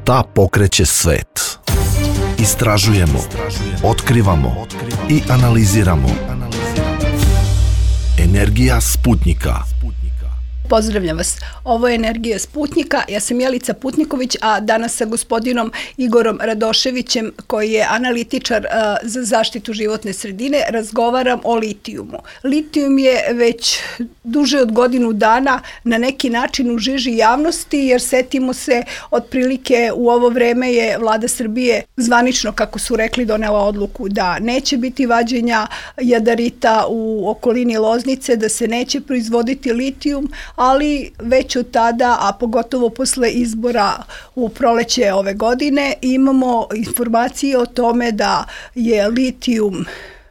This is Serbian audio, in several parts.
Šta pokreće svet? Istražujemo, otkrivamo i analiziramo. Energija Sputnjika. Pozdravljam vas. Ovo je Energija Sputnjika. Ja sam Jelica Putniković, a danas sa gospodinom Igorom Radoševićem, koji je analitičar za zaštitu životne sredine, razgovaram o litijumu. Litijum je već duže od godinu dana na neki način u žiži javnosti, jer setimo se, otprilike u ovo vreme je vlada Srbije zvanično, kako su rekli, donela odluku da neće biti vađenja jadarita u okolini Loznice, da se neće proizvoditi litijum, ali već od tada, a pogotovo posle izbora u proleće ove godine, imamo informacije o tome da je litijum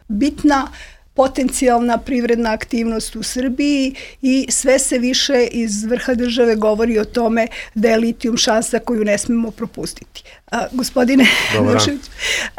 bitna potencijalna privredna aktivnost u Srbiji i sve se više iz vrha države govori o tome da je litijum šansa koju ne smemo propustiti. Gospodine Radošević,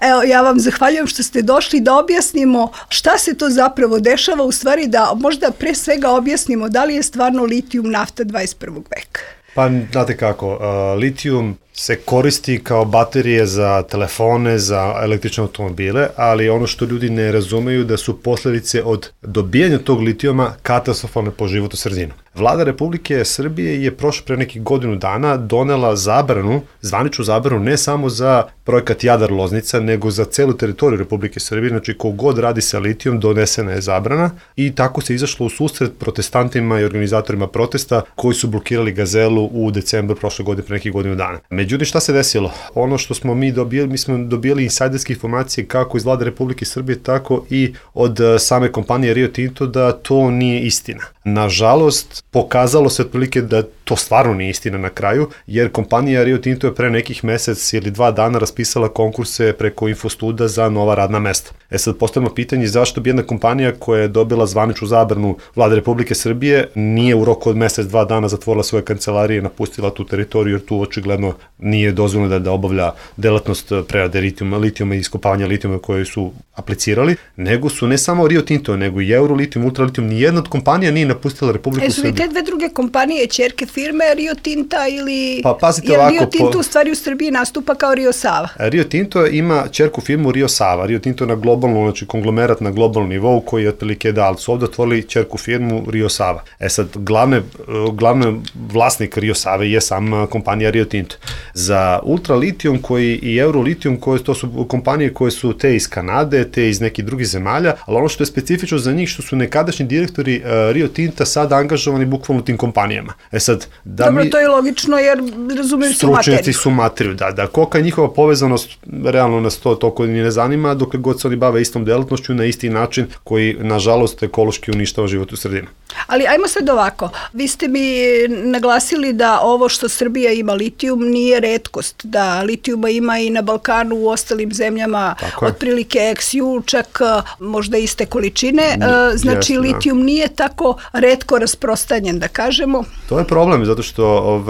evo, ja vam zahvaljujem što ste došli da objasnimo šta se to zapravo dešava, u stvari da možda pre svega objasnimo da li je stvarno litijum nafta 21. veka. Pa, znate kako, litijum se koristi kao baterije za telefone, za električne automobile, ali ono što ljudi ne razumeju da su posledice od dobijanja tog litijuma katastrofalne po životnu sredinu. Vlada Republike Srbije je pre nekih godinu dana donela zabranu, zvaničnu zabranu, ne samo za projekat Jadar-Loznica, nego za celu teritoriju Republike Srbije, znači kogod radi sa litijom donesena je zabrana i tako se izašlo u susret protestantima i organizatorima protesta koji su blokirali Gazelu u decembru prošle godine, pre nekih godinu dana. Međutim, šta se desilo? Ono što smo mi smo dobijali insajderske informacije kako iz Vlade Republike Srbije, tako i od same kompanije Rio Tinto da to nije istina. Nažalost, pokazalo se otprilike da to stvarno nije istina na kraju, jer kompanija Rio Tinto je pre nekih mesec ili 2 dana raspisala konkurse preko Infostuda za nova radna mesta. Sad postavljamo pitanje zašto bi jedna kompanija koja je dobila zvaničnu zabranu Vlade Republike Srbije nije u roku od mesec, 2 dana zatvorila svoje kancelarije i napustila tu teritoriju, jer tu očigledno nije dozvoljeno da obavlja delatnost prerade litijuma i iskopavanja litijuma koje su aplicirali, nego su ne samo Rio Tinto, nego i Eurolitijum, Ultralitijum, nijedna od kompanija nije napustila Republiku Srbiju. Su li te dve druge kompanije ćerke firme Rio Tinta ili... Pa pazite ovako... Rio Tinto u stvari u Srbiji nastupa kao Rio Sava. Rio Tinto ima ćerku firmu Rio Sava. Rio Tinto na globalnom, znači konglomerat na globalnom nivou koji je otprilike ali su ovdje otvorili ćerku firmu Rio Sava. Sad, glavni vlasnik Rio Save je sam kompanija Rio Tinto. Za Ultralitijum i Eurolitijum, to su kompanije koje su te iz Kanade, te iz nekih drugih zemalja, ali ono što je specifično za njih što su nekadašnji direktori Rio Tinta sad angažovani bukvalno u tim kompanijama. Sad, dobro, to je logično jer razumiju su materiju. Stručnjaci su materiju, da. Kolika je njihova povezanost, realno nas to toliko ni ne zanima, dokle god se oni bave istom delatnošću na isti način koji, nažalost, ekološki uništava životnu sredinu. Ali ajmo sad ovako, vi ste mi naglasili da ovo što Srbija ima litijum nije retkost, da litijuma ima i na Balkanu, u ostalim zemljama, otprilike XU, čak možda iste količine, znači litijum nije tako retko rasprostanjen, da kažemo. To je problem, zato što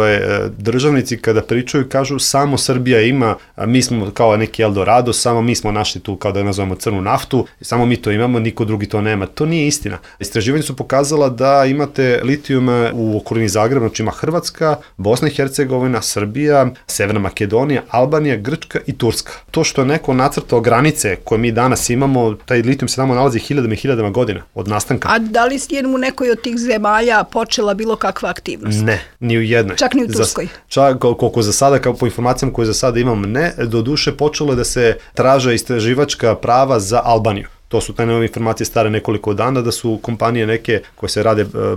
državnici kada pričaju kažu samo Srbija ima, mi smo kao neki Eldorado, samo mi smo našli tu kao da nazovemo crnu naftu, samo mi to imamo, niko drugi to nema. To nije istina. Istraživanja su pokazala da imate litijuma u okolini Zagreba, znači ima Hrvatska, Bosna i Hercegovina, Srbija, Severna Makedonija, Albanija, Grčka i Turska. To što je neko nacrtao granice koje mi danas imamo, taj litijum se tamo nalazi hiljadama i hiljadama godina od nastanka. A da li je u nekoj od tih zemalja počela bilo kakva aktivnost? Ne, ni u jednoj. Čak ni u Turskoj? Čak koliko za sada, kao po informacijama koje za sada imam, ne. Do duše počelo je da se traže istraživačka prava za Albaniju. To su te nove informacije stare nekoliko dana, da su kompanije neke koje se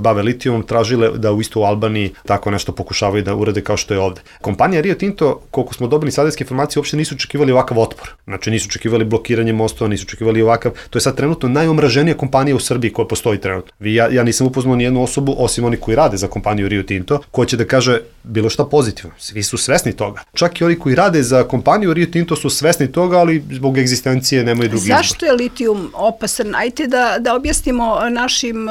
bave litijumom tražile da u isto u Albaniji tako nešto pokušavaju da urade kao što je ovde. Kompanija Rio Tinto, koliko smo dobili sadijske informacije, uopšte nisu očekivali ovakav otpor. Znači nisu očekivali blokiranje mostova, nisu očekivali ovakav. To je sad trenutno najomraženija kompanija u Srbiji koja postoji trenutno. Ja nisam upoznao nijednu osobu, osim oni koji rade za kompaniju Rio Tinto, koja će da kaže bilo šta pozitivno. Svi su svesni toga. Čak i oni koji rade za kompaniju Rio Tinto su svesni toga, ali zbog egzistencije nemaju drugi izbor. Zašto je litijum litijum opasan? Ajte da objasnimo našim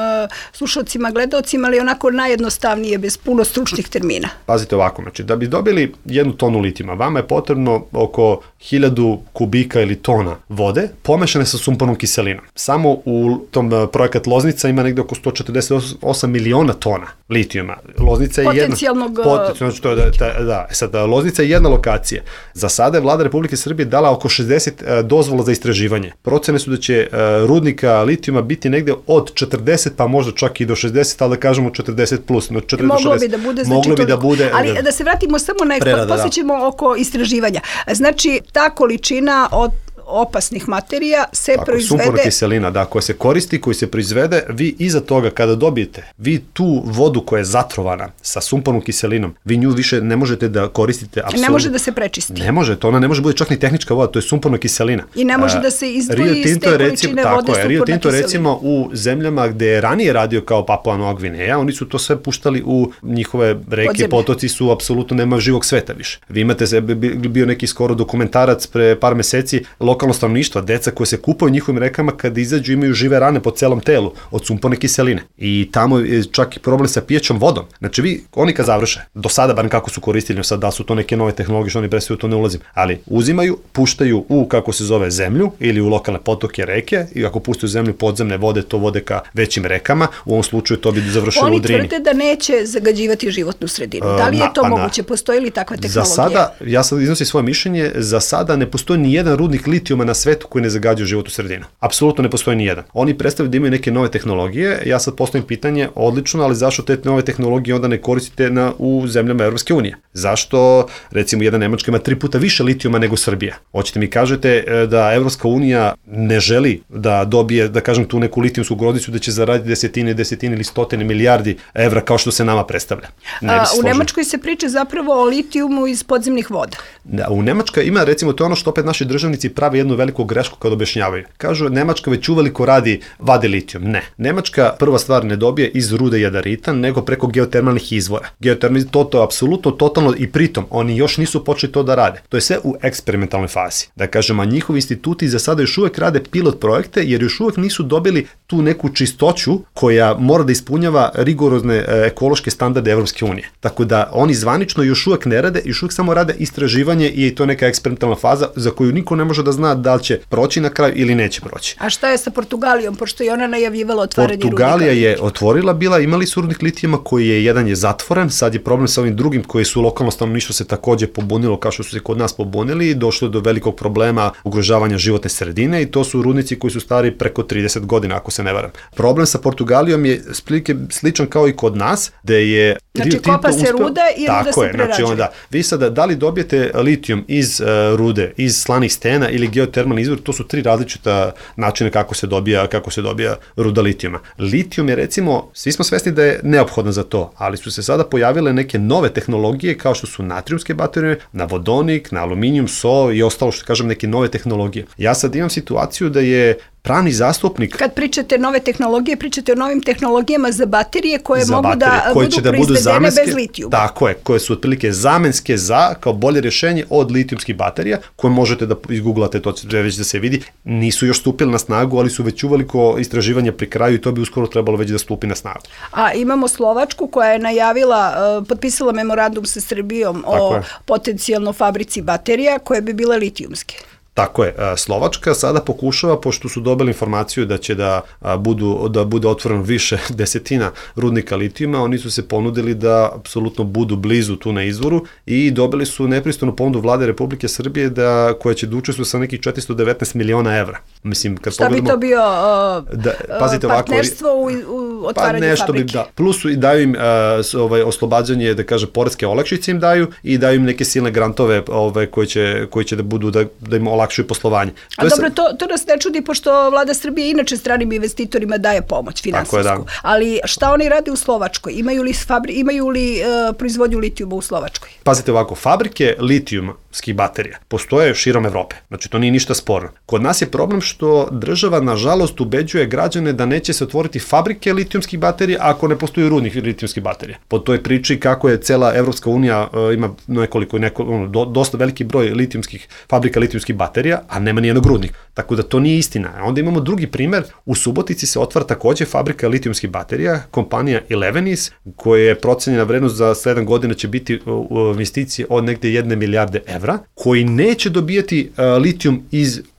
slušalcima, gledaocima, ali onako najjednostavnije, bez puno stručnih termina. Pazite ovako, znači da bi dobili 1 tonu litijuma, vama je potrebno oko 1000 kubika ili tona vode pomešane sa sumpornom kiselinom. Samo u tom projekat Loznica ima negde oko 148 miliona tona litijuma. Loznica je potencijalnog... znači to je, sad, Loznica je jedna lokacija. Za sada je vlada Republike Srbije dala oko 60 dozvola za istraživanje. Procene su da će rudnika litijuma biti negde od 40 pa možda čak i do 60, ali da kažemo 40 plus. No 40 moglo bi da bude, znači ali da se vratimo samo na poslije ćemo oko istraživanja. Znači, ta količina od opasnih materija se proizvede... Sumporna kiselina, koja se koristi, koji se proizvede, vi iza toga kada dobijete, vi tu vodu koja je zatrovana sa sumpornom kiselinom, vi nju više ne možete da koristite apsolutno. Ne može da se prečisti. Ne može, ona ne može bude čak ni tehnička voda, to je sumporna kiselina. I ne može da se izdvoji iz te količine vode sumporna kiselina. Rio Tinto recimo u zemljama gde je ranije radio kao Papua Nova Gvineja, oni su to sve puštali u njihove reke, potoci su apsolutno nema živog sveta više. Vi imate, bio neki skoro dokumentarac pre par meseci, lokalno stanovništva, deca koje se kupaju u njihovim rekama kada izađu imaju žive rane po celom telu od sumporne kiseline. I tamo je čak i problem sa pijećom vodom. Znači oni kad završe, do sada bar kako su koristili, sad da su to neke nove tehnologije što oni predstavljaju, to ne ulazim, ali uzimaju, puštaju u kako se zove zemlju ili u lokalne potoke, reke i ako puštaju zemlju podzemne vode, to vode ka većim rekama, u ovom slučaju to bi završilo u Drini. Oni tvrde da neće zagađivati životnu sredinu. Da li je to moguće? Postoji li takva tehnologija? Za sada, ja sad iznosim svoje mišljenje, za sada ne postoji ni jedan rudnik litijuma na svetu koji ne zagađuje životnu sredinu. Apsolutno ne postoji ni jedan. Oni predstavljaju da imaju neke nove tehnologije. Ja sad postavim pitanje, odlično, ali zašto te nove tehnologije onda ne koristite u zemljama Evropske unije? Zašto, recimo, jedna Nemačka ima 3 puta više litijuma nego Srbija? Hoćete mi kažete da Evropska unija ne želi da dobije, da kažem, tu neku litijumsku groznicu da će zaraditi desetine ili stotine milijardi evra kao što se nama predstavlja? U Nemačkoj se priča zapravo o litijumu iz podzemnih voda. Da, u Nemačkoj ima, recimo, to je ono što opet naši državnici prave jednu veliku grešku kad objašnjavaju. Kažu, Nemačka već uveliko vadi litijum. Ne. Nemačka prva stvar ne dobije iz rude jadarita, nego preko geotermalnih izvora. Geotermalni, to je apsolutno totalno i pritom, oni još nisu počeli to da rade. To je sve u eksperimentalnoj fazi. Da kažem, a njihovi instituti za sada još uvek rade pilot projekte, jer još uvek nisu dobili tu neku čistoću koja mora da ispunjava rigorozne ekološke standarde Evropske unije. Tako da oni zvanično još uvek ne rade, još uvek samo rade istraživanje i to je neka eksperimentalna faza za koju niko ne može da zna da li će proći na kraju ili neće proći. A šta je sa Portugalijom, pošto je ona najavljivala otvaranje rudnika? Portugalija je otvorila imali su rudnik litijuma koji je jedan je zatvoren, sad je problem sa ovim drugim koji su lokalno stanovništvo se takođe pobunilo kao što su se kod nas pobunili i došlo do velikog problema ugrožavanja životne sredine i to su rudnici koji su stari preko 30 godina, ako se ne varam. Problem sa Portugalijom je sličan kao i kod nas, gde je znači kopa se ruda i ruda se prerađuje. Znači vi sada da li dobijete litijum iz rude, iz slanih stena ili geotermalni izvor, to su 3 različita načina kako se dobija ruda litijuma. Litijum je recimo, svi smo svesni da je neophodan za to, ali su se sada pojavile neke nove tehnologije kao što su natrijumske baterije, na vodonik, na aluminijum, so i ostalo što kažem neke nove tehnologije. Ja sad imam situaciju da je pravni zastupnik... Kad pričate nove tehnologije, pričate o novim tehnologijama za baterije koje mogu da budu proizvedene bez litijuma. Tako je, koje su otprilike zamenske kao bolje rješenje od litijumskih baterija, koje možete da izgooglate, to će već da se vidi. Nisu još stupili na snagu, ali su već uveliko istraživanja pri kraju i to bi uskoro trebalo već da stupi na snagu. A imamo Slovačku koja je najavila, potpisala memorandum sa Srbijom o potencijalno fabrici baterija koje bi bile litijumske. Tako je, Slovačka sada pokušava, pošto su dobili informaciju da će da bude otvoreno više desetina rudnika litijuma, oni su se ponudili da apsolutno budu blizu tu na izvoru i dobili su nepristojnu ponudu vlade Republike Srbije koja će da učestvuje sa nekih 419 miliona evra. Mislim, kad šta bi to bio partnerstvo u otvaranju fabrike? Plus i daju im oslobađanje, da kažem, poreske olakšice im daju i daju im neke silne grantove koji će da budu, da im olakšuju poslovanje. A dobro, to nas ne čudi, pošto vlada Srbije inače stranim investitorima daje pomoć finansijsku. Ali šta oni rade u Slovačkoj? Imaju li proizvodnju litijuma u Slovačkoj? Pazite ovako, fabrike litijumskih baterija postoje širom Evrope. Znači, to nije ništa sporno. Kod nas je problem što država, nažalost, ubeđuje građane da neće se otvoriti fabrike litijumskih baterija ako ne postoji rudnik litijumskih baterija. Po toj priči kako je cela Evropska unija ima dosta veliki broj fabrika litijumskih baterija. baterija, a nema nijednog rudnika. Tako da to nije istina. Onda imamo drugi primer, u Subotici se otvara takođe fabrika litijumskih baterija, kompanija Elevenis, koja je procenjena vrednost za 7 godina će biti u investiciji od negde 1 milijarde evra, koji neće dobijati litijum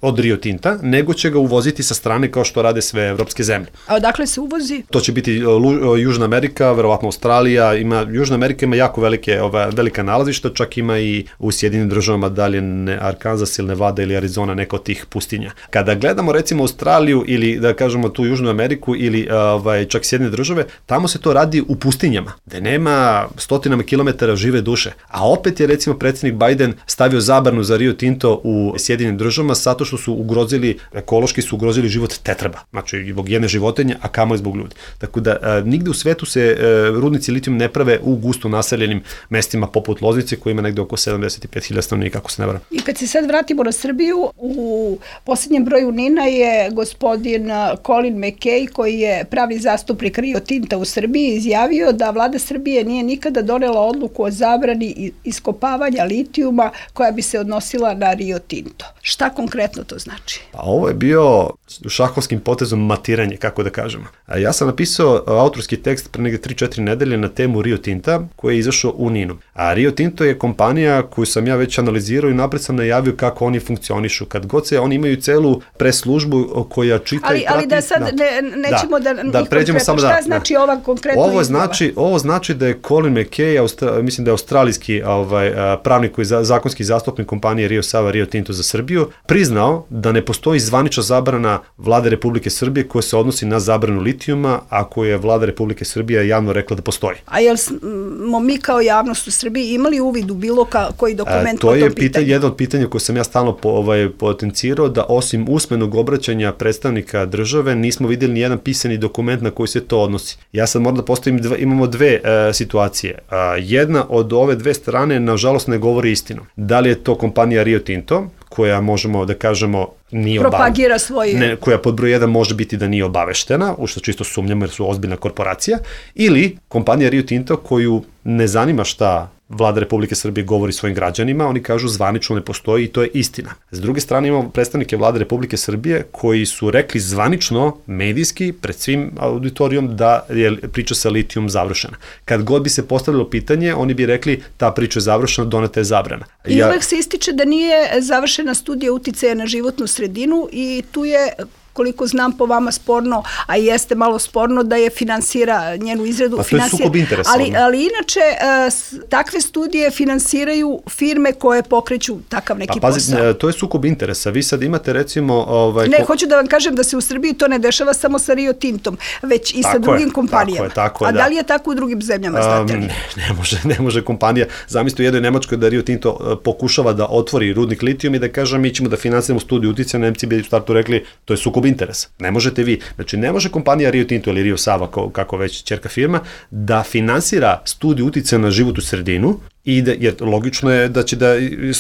od Rio Tinta, nego će ga uvoziti sa strane kao što rade sve evropske zemlje. A odakle se uvozi? To će biti Južna Amerika, verovatno Australija, Južna Amerika ima jako velika nalazišta, čak ima i u Sjedinim državama, dalje Arkansas ili Nevada ili Arizona, neka od tih pustinja. Kada gledamo recimo Australiju ili da kažemo tu Južnu Ameriku ili čak Sjedine države, tamo se to radi u pustinjama, gde nema stotinama kilometara žive duše. A opet je recimo predsjednik Biden stavio zabranu za Rio Tinto u Sjedinim državama zato što su ekološki su ugrozili život tetraba, znači zbog jedne životinje, a kamoli zbog ljudi. Tako da nigde u svetu se rudnici litijuma ne prave u gusto naseljenim mestima poput Loznice, koji ima negde oko 75.000 stanovnika, ako se ne varam. I kad se sad vratimo na Srbiju, u posljednjem broju NIN-a je gospodin Colin McKay, koji je pravni zastupnik Rio Tinta u Srbiji, izjavio da vlada Srbije nije nikada donela odluku o zabrani iskopavanja litijuma koja bi se odnosila na Rio Tinto. Šta konkretno to znači? Pa ovo je bio šahovskim potezom matiranje, kako da kažemo. Ja sam napisao autorski tekst pre negde 3-4 nedelje na temu Rio Tinta, koji je izašao u NIN-u. A Rio Tinto je kompanija koju sam ja već analizirao i napred sam najavio kako oni funkcionišu. Kad god oni imaju celu preslužbu koja čita i prati... Ali da sad nećemo da pređemo samo šta znači ova konkretna izjava? Ovo znači da je Colin McKay, mislim da je australijski pravnik koji je zakonski zastupnik kompanije Rio Sava Rio Tinto za Srbiju, priznao da ne postoji zvanična zabrana Vlade Republike Srbije koja se odnosi na zabranu litijuma, a koju je Vlada Republike Srbije javno rekla da postoji. A jel smo mi kao javnost u Srbiji imali uvid u bilo koji dokument po tom pitanju? To je jedno od pitanja koje sam ja stalno potencirao, da osim usmenog obraćanja predstavnika države nismo vidjeli ni jedan pisani dokument na koji se to odnosi. Ja sad moram da postavim, imamo dve situacije. Jedna od ove dve strane nažalost ne govori istinu. Da li je to kompanija Rio Tinto, koja možemo da kažemo nije propagira svoje... koja pod broj 1 može biti da nije obaveštena, u što čisto sumnjamo jer su ozbiljna korporacija, ili kompanija Rio Tinto koju ne zanima šta Vlada Republike Srbije govori svojim građanima, oni kažu zvanično ne postoji i to je istina. S druge strane imamo predstavnike Vlade Republike Srbije koji su rekli zvanično, medijski, pred svim auditorijom da je priča sa litijum završena. Kad god bi se postavilo pitanje, oni bi rekli ta priča je završena, doneta je zabrana. I uvek se ističe da nije završena studija uticaja na životnu sredinu i tu je, koliko znam, po vama sporno, a jeste malo sporno da je finansira njenu izradu. Pa to je sukob interesa. Ali inače, takve studije finansiraju firme koje pokreću takav neki posao. To je sukob interesa. Vi sad imate recimo... hoću da vam kažem da se u Srbiji to ne dešava samo sa Rio Tintom, već i sa drugim kompanijama. Tako je, a da li je tako u drugim zemljama, znate li? Ne može kompanija. Zamislite u jednoj Nemačkoj da Rio Tinto pokušava da otvori rudnik litijum i da kaže mi ćemo da finansiramo studiju uticaja, Nemci bi u startu rekli to je sukob interesa. Ne možete vi. Znači, ne može kompanija Rio Tinto ili Rio Sava, kako već ćerka firma, da finansira studiju uticaja na životnu sredinu, jer logično je da će da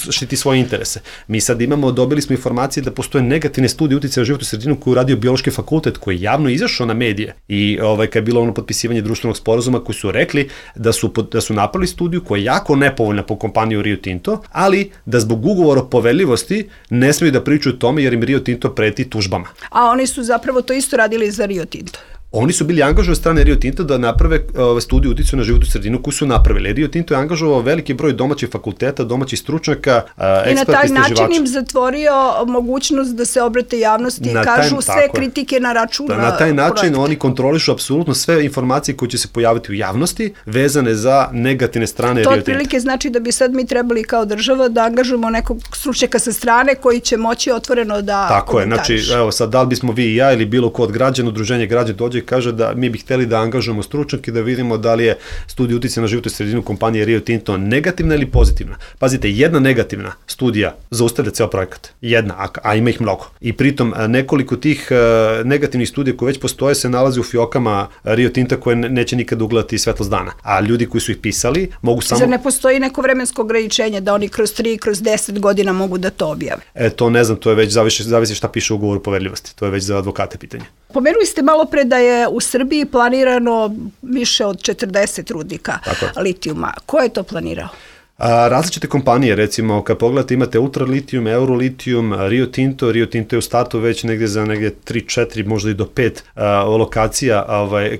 štiti svoje interese. Mi sad dobili smo informacije da postoje negativne studije uticaja na životnu sredinu koju radio Biološki fakultet, koji je javno izašao na medije i kad je bilo ono potpisivanje društvenog sporazuma, koji su rekli da su napravili studiju koja je jako nepovoljna po kompaniju Rio Tinto, ali da zbog ugovora o poverljivosti ne smiju da pričaju o tome jer im Rio Tinto preti tužbama. A oni su zapravo to isto radili za Rio Tinto. Oni su bili angažovani od strane Rio Tinta da naprave studiju uticaja na životnu sredinu koju su napravili. Rio Tinto je angažovao veliki broj domaćih fakulteta, domaćih stručnjaka, eksperta, istraživača. I na taj način im zatvorio mogućnost da se obrate javnosti i kažu sve kritike na račun projekta. Na taj način oni kontrolišu apsolutno sve informacije koje će se pojaviti u javnosti vezane za negativne strane Rio Tinta. To otprilike znači da bi sad mi trebali kao država da angažujemo nekog stručnjaka sa strane koji će moći otvoreno da tako je, znači evo sad da li bismo vi i ja ili bilo ko od građana, udruženje građana dođe i kaže da mi bi hteli da angažujemo stručnjake da vidimo da li je studija uticaja na životnu sredinu kompanije Rio Tinto negativna ili pozitivna. Pazite, jedna negativna studija zaustavlja ceo projekat. Jedna, a ima ih mnogo. I pritom nekoliko tih negativnih studija koje već postoje se nalaze u fiokama Rio Tinta koje neće nikada ugledati svetlost dana. A ljudi koji su ih pisali mogu samo... Zar ne postoji neko vremensko ograničenje da oni kroz 3, kroz 10 godina mogu da to objave? To ne znam, to je već zavisi šta piše u ugovoru o poverljivosti. To je već za advokate pitanje. Pomenuli ste malo pre da je u Srbiji planirano više od 40 rudnika litijuma. Ko je to planirao? Različite kompanije, recimo, kad pogledate, imate Ultralitijum, Eurolitijum, Rio Tinto je u startu već negdje za 3-4, možda i do 5 lokacija,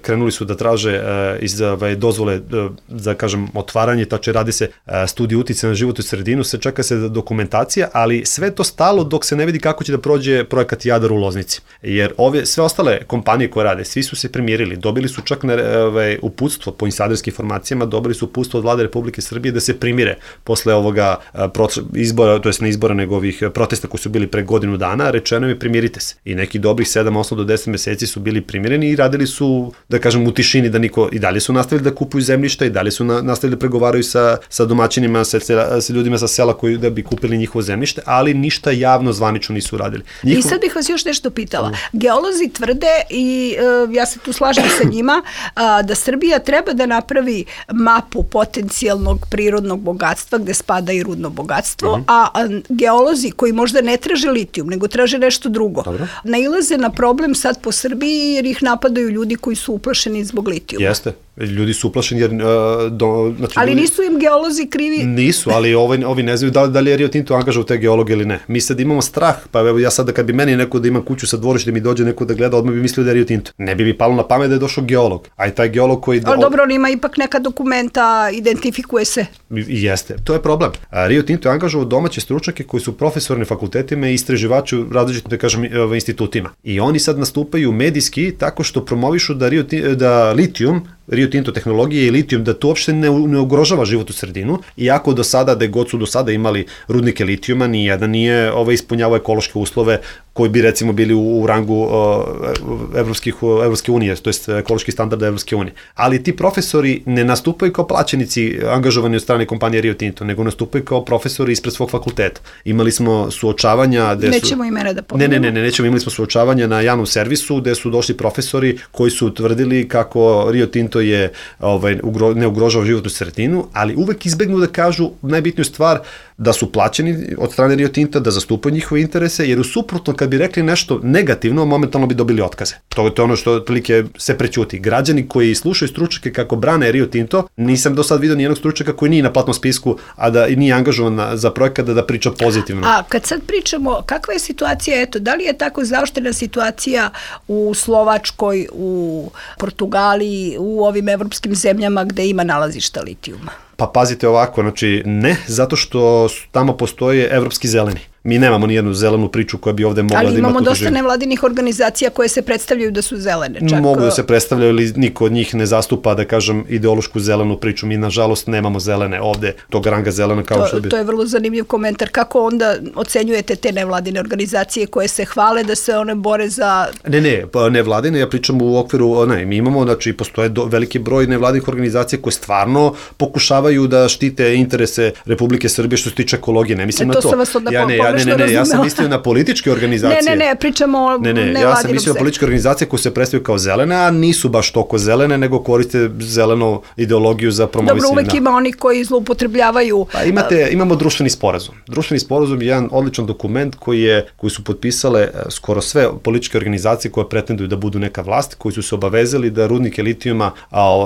krenuli su da traže iz dozvole za, kažem, otvaranje, tače radi se studij uticaja na životnu sredinu, se čeka se dokumentacija, ali sve to stalo dok se ne vidi kako će da prođe projekat Jadar u Loznici. Jer sve ostale kompanije koje rade, svi su se primirili, dobili su čak uputstvo po insajderskim informacijama, dobili su uputstvo od Vlade Republike Srbije da se primire posle ovoga izbora, to jest ne izbora, nego ovih protesta koji su bili pre godinu dana, rečeno je primirite se. I neki dobrih 7, 8 do 10 meseci su bili primireni i radili su, da kažem, u tišini, da niko, i dalje su nastavili da kupuju zemljišta, i dalje su nastavili da pregovaraju sa domaćinima, sa ljudima sa sela koji da bi kupili njihovo zemljište, ali ništa javno zvanično nisu radili. I sad bih vas još nešto pitala. Geolozi tvrde, i ja se tu slažem sa njima, da Srbija treba da napravi mapu potencijalnog prirodnog bogatstva gde spada i rudno bogatstvo, a geolozi koji možda ne traže litijum, nego traže nešto drugo, nailaze na problem sad po Srbiji jer ih napadaju ljudi koji su uplašeni zbog litijuma. Jeste. Ljudi su uplašeni jer... ali nisu im geolozi krivi? Nisu, ali ovi ne znaju da li je Rio Tinto angažao te geologe ili ne. Mi sad imamo strah, pa evo ja sad kad bi meni neko da imam kuću sa dvorištem mi dođe neko da gleda, odmah bi mislio da je Rio Tinto. Ne bi mi palo na pamet da je došao geolog. A i taj geolog koji... Ali dobro, on ima ipak neka dokumenta, identifikuje se. Jeste, to je problem. Rio Tinto je angažao domaće stručnjake koji su profesori na fakultetima i istraživači u različitim, da kažem, institutima. I oni sad nastupaju medijski tako što promovišu da litijum, Rio Tinto tehnologije i litijum, da to uopšte ne ugrožava životnu sredinu, iako do sada, da god su do sada imali rudnike litijuma, nijedan nije ispunjavao ekološke uslove koji bi recimo bili u rangu Evropske unije, to jest ekološki standarda Evropske unije. Ali ti profesori ne nastupaju kao plaćenici angažovani od strane kompanije Rio Tinto, nego nastupaju kao profesori ispred svog fakulteta. Imali smo suočavanja... Nećemo imena da pomenemo. Nećemo, imali smo suočavanja na javnom servisu gde su došli profesori koji su tvrdili kako Rio Tinto je ne ugrožava životnu sredinu, ali uvek izbegnu da kažu najbitniju stvar, da su plaćeni od strane Rio Tinta, da zastupaju njihove interese, jer u suprotno kad bi rekli nešto negativno, momentalno bi dobili otkaze. To je ono što otprilike se prećuti. Građani koji slušaju stručnjake kako brane Rio Tinto, nisam do sad vidio nijednog stručnjaka koji nije na platnom spisku, a da nije angažovan za projekat da priča pozitivno. A kad sad pričamo, kakva je situacija, da li je tako zaoštrena situacija u Slovačkoj, u Portugaliji, u ovim evropskim zemljama gde ima nalazišta litijuma? Pa pazite ovako, znači ne, zato što tamo postoje evropski zeleni. Mi nemamo nijednu zelenu priču koja bi ovde mogla da ima... Ali imamo dosta nevladinih organizacija koje se predstavljaju da su zelene. Mogu da se predstavljaju, ali niko od njih ne zastupa, da kažem, ideološku zelenu priču. Mi, nažalost, nemamo zelene ovde, tog ranga zelena kao što bi... To je vrlo zanimljiv komentar. Kako onda ocenjujete te nevladine organizacije koje se hvale da se one bore za... Nevladine, ja pričam u okviru... mi imamo, znači, postoje veliki broj nevladinih organizacija koje stvarno pokušavaju da štite interese Republike Srbije što se tiče ekologije. Ne mislim na to. To sam vas onda ja sam mislio na političke organizacije. Ne, pričamo o nevladinom ja sam mislio na političke organizacije koje se predstavljaju kao zelene, a nisu baš toliko zelene, nego koriste zelenu ideologiju za promovisanje. Dobro, uvek ima oni koji zloupotrebljavaju. Pa imamo društveni sporazum. Društveni sporazum je jedan odličan dokument koji su potpisale skoro sve političke organizacije koje pretenduju da budu neka vlast, koji su se obavezali da rudnike litijuma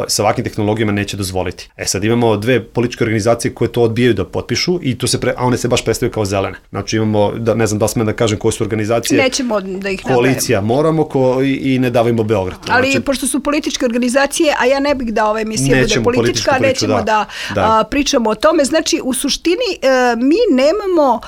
sa ovakvim tehnologijama neće dozvoliti. Sad imamo dve političke organizacije koje to odbijaju da potpišu i a one se baš predstavljaju kao zelene. Znači imamo, ne znam da smem da kažem koje su organizacije. Nećemo da ih Koalicija Moramo i Ne davimo Beograd. Ali pošto su političke organizacije, a ja ne bih da ova emisija bude politička, nećemo da pričamo o tome. Znači, u suštini mi nemamo,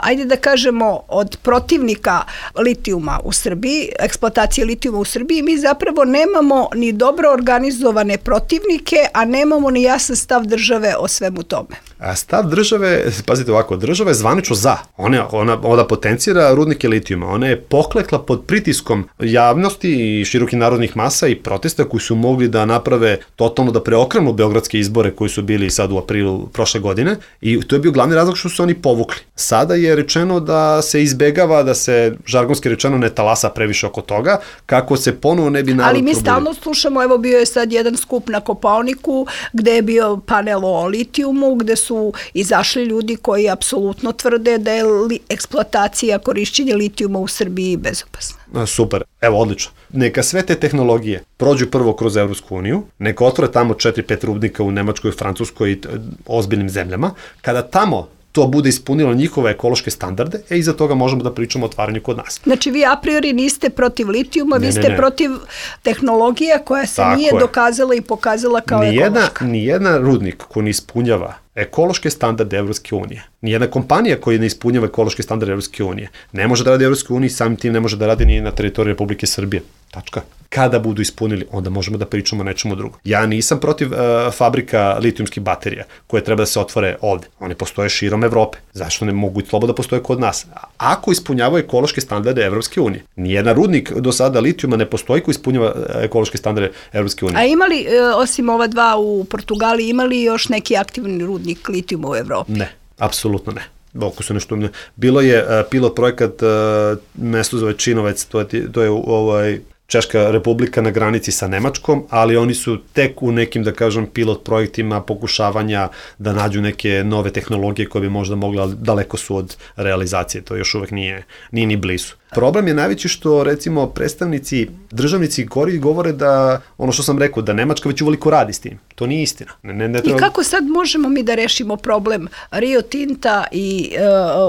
ajde da kažemo, od protivnika litijuma u Srbiji, eksploatacije litijuma u Srbiji, mi zapravo nemamo ni dobro organizovane protivnike, a nemamo ni jasan stav države o svemu tome. A stav države, pazite ovako, država je zvanično za. Ona potencira rudnike litijuma. Ona je poklekla pod pritiskom javnosti i širokih narodnih masa i protesta koji su mogli da naprave totalno, da preokrenu beogradske izbore koji su bili sad u aprilu prošle godine i to je bio glavni razlog što su oni povukli. Sada je rečeno da se izbegava, da se žargonski rečeno ne talasa previše oko toga, kako se ponovo ne bi narod probudili. Ali mi stalno slušamo, evo bio je sad jedan skup na Kopaoniku gde je bio panel o litijumu, gde su izašli ljudi koji apsolutno tvrde da je eksploatacija, korišćenje litijuma u Srbiji bezopasna? Super, evo odlično. Neka sve te tehnologije prođu prvo kroz Evropsku uniju, neka otvore tamo 4-5 rudnika u Nemačkoj, Francuskoj i ozbiljnim zemljama. Kada tamo to bude ispunilo njihove ekološke standarde, iza toga možemo da pričamo o otvaranju kod nas. Znači vi a priori niste protiv litijuma, vi ste protiv tehnologije koja se nije dokazala i pokazala kao ekološka. Nijedan rudnik koji ne ispunjava ekološke standarde Evropske unije, nijedna kompanija koja ne ispunjava ekološke standarde Evropske unije, ne može da radi u Evropskoj uniji, samim tim ne može da radi ni na teritoriji Republike Srbije. Tačka. Kada budu ispunili, onda možemo da pričamo o nečemu drugom. Ja nisam protiv fabrika litijumskih baterija koje treba da se otvore ovde. One postoje širom Evrope. Zašto ne mogu slobodno da postoje kod nas? Ako ispunjavaju ekološke standarde Evropske unije. Nijedan rudnik do sada litijuma ne postoji koji ispunjava ekološke standarde Evropske unije. A imali, osim ova dva u Portugaliji, imali još neki aktivni rudnik litijuma u Evropi? Ne, apsolutno ne. Oko su nešto. Bilo je pilot projekat, mesto zove Činovec, to je Češka republika na granici sa Nemačkom, ali oni su tek u nekim, da kažem, pilot projektima pokušavanja da nađu neke nove tehnologije koje bi možda mogle, ali daleko su od realizacije, to još uvek nije ni blizu. Problem je najveći što, recimo, predstavnici, državnici govore da, ono što sam rekao, da Nemačka već uveliko radi s tim. To nije istina. Ne treba... I kako sad možemo mi da rešimo problem Rio Tinta i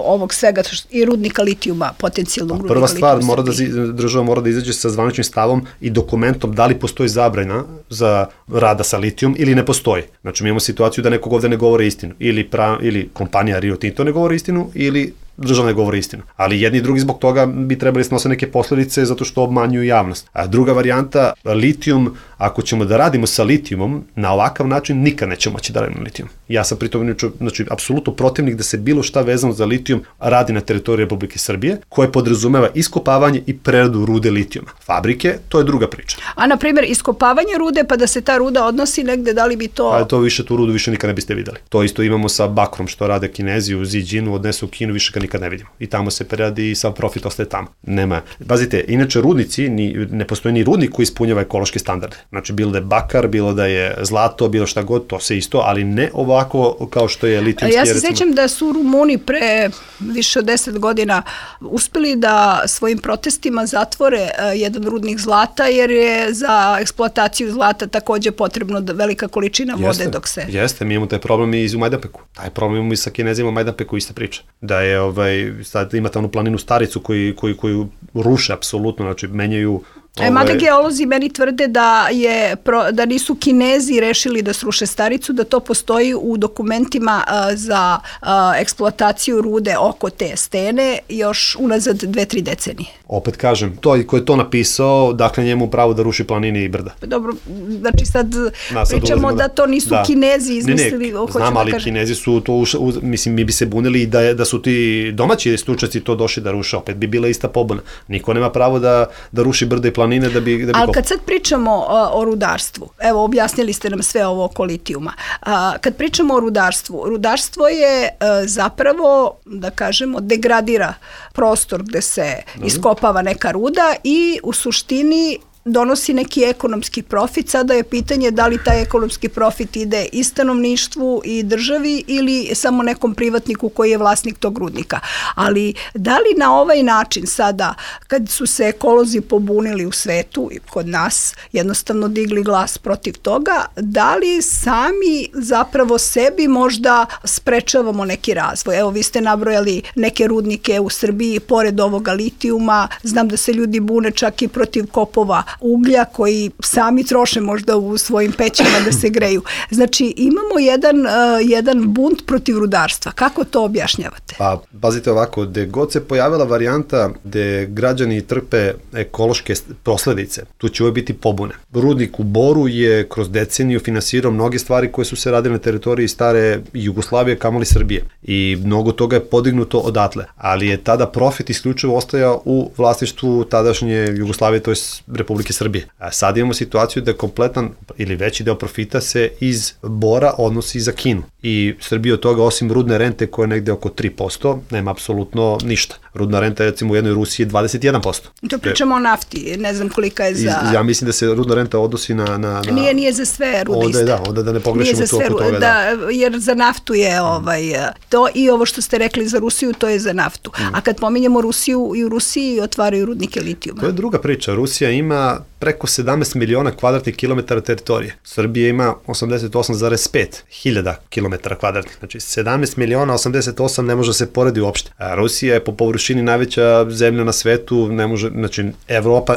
ovog svega, i rudnika litijuma, potencijalnog rudnika litijuma? Prva stvar, država mora da izađe sa zvaničnim stavom i dokumentom da li postoji zabrana za rada sa litijum ili ne postoji. Znači, mi imamo situaciju da nekog ovde ne govore istinu. Ili kompanija Rio Tinto ne govori istinu, ili država ne govori istinu. Ali jedni i drugi zbog toga bi trebali snose neke posledice zato što obmanjuju javnost. A druga varijanta, litijum, ako ćemo da radimo sa litijumom, na ovakav način nikad nećemo moći da radimo litijum. Ja sam pritom, znači, apsolutno protivnik da se bilo šta vezano za litijum radi na teritoriji Republike Srbije, koje podrazumeva iskopavanje i preradu rude litijuma. Fabrike, to je druga priča. A, na primjer, iskopavanje rude, pa da se ta ruda odnosi negde, da li bi to... Pa tu rudu više nikad ne biste videli. To isto imamo sa bakrom, što rade Kinezi u Ziđinu, odnesu u Kinu, više ga nikad ne vidimo. I tamo se preradi i sav profit ostaje tamo. Nema. Pazite, inače rudnici, ne postoji ni rudnik koji ispunjava ekološke standarde. Znači, bilo da je bakar, bilo da je zlato, bilo šta god, to se isto, ali ne ovako kao što je litijumski. Ja se sećam da su Rumuni pre više od 10 godina uspeli da svojim protestima zatvore jedan rudnik zlata, jer je za eksploataciju zlata takođe potrebno velika količina vode dok se... Jeste, mi imamo taj problem i u Majdanpeku. Taj problem imamo i sa Kinezima u Majdanpeku, ista priča. Da je, sad imate onu planinu Staricu koju ruše apsolutno, znači menjaju... Mada geolozi meni tvrde da nisu Kinezi rešili da sruše Staricu, da to postoji u dokumentima za eksploataciju rude oko te stene još unazad 2-3 decenije. Opet kažem, to ko je to napisao, dakle njemu pravo da ruši planine i brda. Dobro, znači sad pričamo da to nisu Kinezi izmislili. Znam, ali Kinezi su to, mislim, mi bi se bunili da su ti domaći stručnjaci to došli da ruše, opet bi bila ista pobuna. Niko nema pravo da ruši brda i planine da bi... Ali kad sad pričamo o rudarstvu, evo objasnili ste nam sve ovo oko litijuma, kad pričamo o rudarstvu, rudarstvo je zapravo, da kažemo, degradira prostor gde se iskopava neka ruda i u suštini donosi neki ekonomski profit. Sada je pitanje da li taj ekonomski profit ide i stanovništvu i državi ili samo nekom privatniku koji je vlasnik tog rudnika. Ali da li na ovaj način sada, kad su se ekolozi pobunili u svetu i kod nas, jednostavno digli glas protiv toga, da li sami zapravo sebi možda sprečavamo neki razvoj? Evo, vi ste nabrojali neke rudnike u Srbiji pored ovoga litijuma, znam da se ljudi bune čak i protiv kopova uglja koji sami troše možda u svojim pećima da se greju. Znači, imamo jedan bunt protiv rudarstva. Kako to objašnjavate? Pa, pazite ovako, gde god se pojavila varijanta gde građani trpe ekološke posledice, tu će uvijek biti pobune. Rudnik u Boru je kroz deceniju finansirao mnoge stvari koje su se radile na teritoriji stare Jugoslavije, kamoli Srbije. I mnogo toga je podignuto odatle. Ali je tada profit isključivo ostajao u vlasništvu tadašnje Jugoslavije, to je Republike Republike Srbije. A sad imamo situaciju da kompletan ili veći deo profita se iz bora odnosi za Kinu. I Srbija od toga, osim rudne rente koja je negde oko 3%, nema apsolutno ništa. Rudna renta je recimo u jednoj Rusiji 21%. To pričamo o nafti, ne znam kolika je za... Ja mislim da se rudna renta odnosi na... Nije za sve rude isto. Onda da ne pogrešimo to oko toga. Jer za naftu je to i ovo što ste rekli za Rusiju, to je za naftu. A kad pominjemo Rusiju, i u Rusiji otvaraju rudnike litijuma. To je druga priča. Rusija ima preko 17 miliona kvadratnih kilometara teritorije. Srbija ima 88,5 hiljada kilometara kvadratnih. Znači 17 miliona, 88 ne može se poredi uopšte. A Rusija je po površini najveća zemlja na svetu, ne može, znači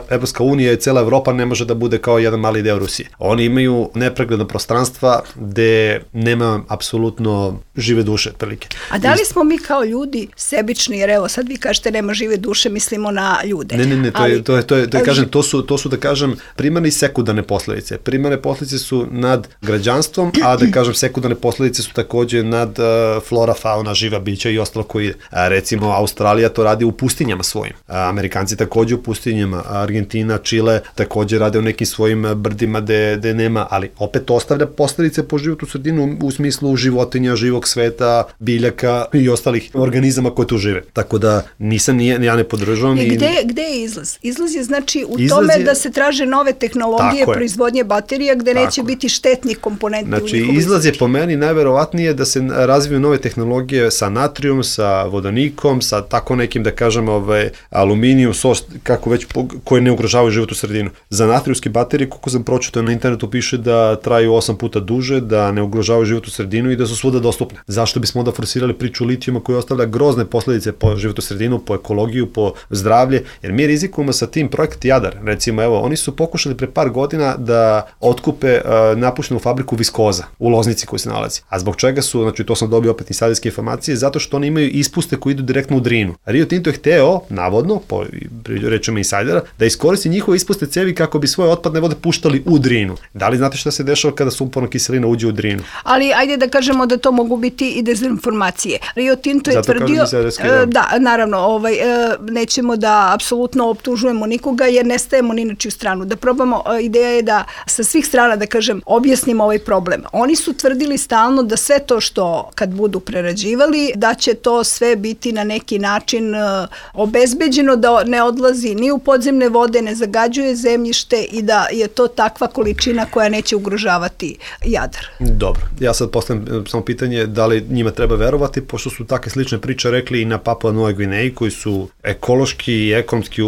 Evropska unija i cela Evropa ne može da bude kao jedan mali deo Rusije. Oni imaju nepregledna prostranstva gde nema apsolutno žive duše, otprilike. A da li smo mi kao ljudi sebični, jer evo sad vi kažete nema žive duše, mislimo na ljude. Ne, to su da kažem primarne i sekundarne posledice. Primarne posledice su nad građanstvom, a da kažem sekundarne posledice su takođe nad flora, fauna, živa bića i ostalo koji ide. Recimo Australija to radi u pustinjama svojim. Amerikanci takođe u pustinjama, Argentina, Čile takođe rade u nekim svojim brdima gde nema, ali opet ostavlja posledice po životnu sredinu u smislu životinja, živog sveta, biljaka i ostalih organizama koje tu žive. Tako da ja ne podržavam. Gde je izlaz? Izlaz je znači u tome da se traže nove tehnologije proizvodnje baterija gde neće biti štetnih komponenti. Znači, izlaz je po meni najverovatnije da se razviju nove tehnologije sa natrijum, sa vodonikom, sa tako nekim, da kažem, aluminijum, kako već, koje ne ugrožavaju životnu sredinu. Za natrijumske baterije, koliko sam pročitao na internetu, piše da traju 8 puta duže, da ne ugrožavaju životnu sredinu i da su svuda dostupne. Zašto bismo onda forsirali priču litijuma koja ostavlja grozne posledice po životnu sredinu, po ekologiju, po zdravlje, jer mi rizikujemo sa tim projekt Jadar. Recimo, evo, oni su pokušali pre par godina da otkupe napuštenu fabriku viskoza u Loznici koji se nalazi. A zbog čega su, znači to sam dobio opet insiderske informacije, zato što oni imaju ispuste koji idu direktno u Drinu. Rio Tinto je hteo, navodno, po rečima insajdera, da iskoristi njihove ispuste cevi kako bi svoje otpadne vode puštali u Drinu. Da li znate šta se dešava kada sumporna kiselina uđe u Drinu? Ali ajde da kažemo da to mogu biti i dezinformacije. Rio Tinto je tvrdio, da, naravno, nećemo da apsolutno optužujemo nikoga jer ne stajemo ni na čiju stranu. Da probamo, ideja je da sa svih strana, da kažem, objasnimo ovaj problem. Oni su tvrdili stalno da sve to što kad budu prerađivali, da će to sve biti na neki način obezbeđeno, da ne odlazi ni u podzemne vode, ne zagađuje zemljište i da je to takva količina koja neće ugrožavati Jadar. Dobro, ja sad postavljam samo pitanje da li njima treba verovati, pošto su takve slične priče rekli i na Papua Novoj Gvineji, koji su ekološki i ekonomski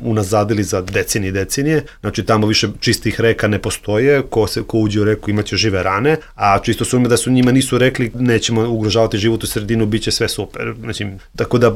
unazadili za decenije, znači tamo više čistih reka ne postoje, ko uđe u reku imaće žive rane, a čisto sumnjam da su njima nisu rekli nećemo ugrožavati životnu sredinu, bit će sve super. Znači, tako da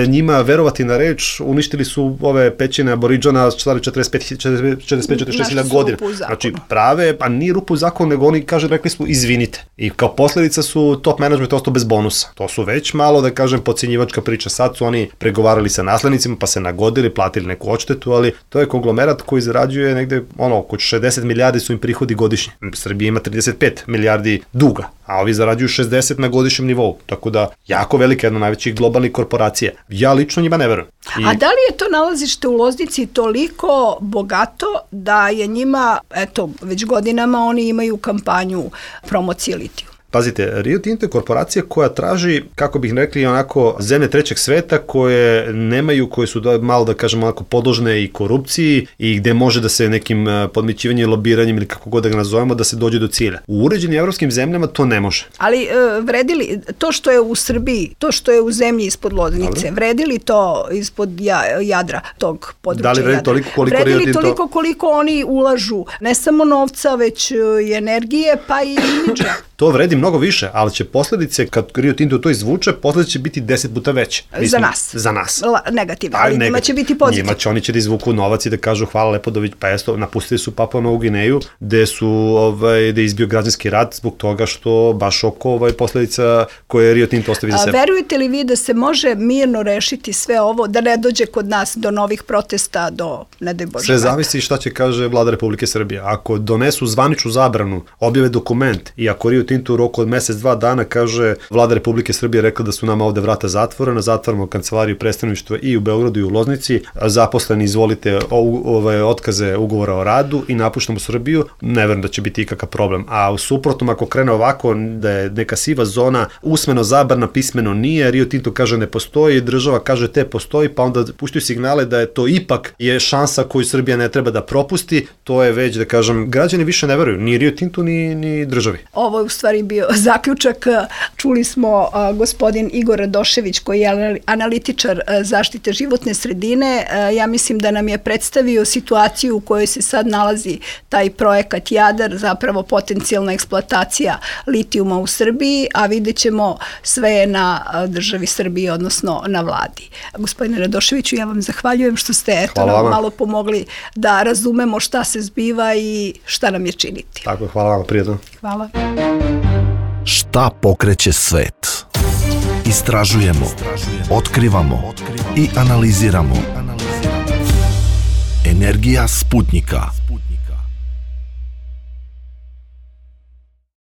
njima verovati na reč, uništili su ove pećine aboriđana stari 45-46 godina. Znači prave, pa nije rupu u zakonu, nego oni rekli smo izvinite. I kao posledica su top management ostao bez bonusa. To su već malo, da kažem, podcjenjivačka priča. Sad su oni pregovarali sa naslednicima, pa se nagodili, platili neku odštetu, ali to je konglomerat koji zarađuje negde, oko 60 milijardi su im prihodi godišnje. Srbija ima 35 milijardi duga, a ovi zarađuju 60 na godišnjem nivou. Tako da, jako velika, jedna najvećih globalnih korporacija. Ja lično njima ne verujem. A da li je to nalazište u Loznici toliko bogato da je njima, već godinama oni imaju kampanju promocije litiju? Pazite, Rio Tinto je korporacija koja traži, kako bih rekli, onako zemlje trećeg sveta koje nemaju, koje su malo, da kažemo, onako podložne i korupciji i gde može da se nekim podmićivanjem i lobiranjem ili kako god da ga nazovemo, da se dođe do cilja. U uređenim evropskim zemljama to ne može. Ali vredili to što je u Srbiji, to što je u zemlji ispod Loznice, vredili to ispod Jadra, tog područja Jadra? Da li vredi toliko koliko Rio Tinto? Toliko koliko oni ulažu, ne samo novca, već i energije, pa i imidža. To vredi mnogo više, ali će posledice, kad Rio Tinto to izvuče, posledice će biti 10 puta veće. Za nas. Za nas. Negativno, ali njima će biti pozitivno. Oni će da izvuku novac i da kažu hvala Lepodović, pa napustili su Papua Novu Gvineju, gde je izbio građanski rat zbog toga što baš oko posledica koje Rio Tinto ostavi za sebe. Verujete li vi da se može mirno rešiti sve ovo, da ne dođe kod nas do novih protesta, do, ne daj Bože. Sve zavisi šta će kaže vlada Republike Srbije. Ako donesu zvaničnu zabranu, objave dokument i ako Rio Tinto u roku od mesec, 2 dana, kaže, Vlada Republike Srbije rekla da su nama ovde vrata zatvorena, zatvaramo kancelariju predstavništva i u Beogradu i u Loznici, zaposleni izvolite otkaze ugovora o radu i napuštamo Srbiju, ne verujem da će biti ikakav problem. A u suprotnom, ako krene ovako da je neka siva zona, usmeno zabrana, pismeno nije, Rio Tinto kaže ne postoji, država kaže te postoji, pa onda puštaju signale da je to ipak je šansa koju Srbija ne treba da propusti, to je već, da kažem, građani više ne veruju, ni Rio Tintu, ni državi. Ovo je u stvari bio zaključak. Čuli smo gospodin Igor Radošević, koji je analitičar zaštite životne sredine. Ja mislim da nam je predstavio situaciju u kojoj se sad nalazi taj projekat Jadar, zapravo potencijalna eksploatacija litijuma u Srbiji, a vidjet ćemo sve na državi Srbiji, odnosno na vladi. Gospodine Radoševiću, ja vam zahvaljujem što ste malo pomogli da razumemo šta se zbiva i šta nam je činiti. Tako je, hvala vam, prijatno. Hvala. Šta pokreće svet? Istražujemo, otkrivamo i analiziramo. Energija Sputnika.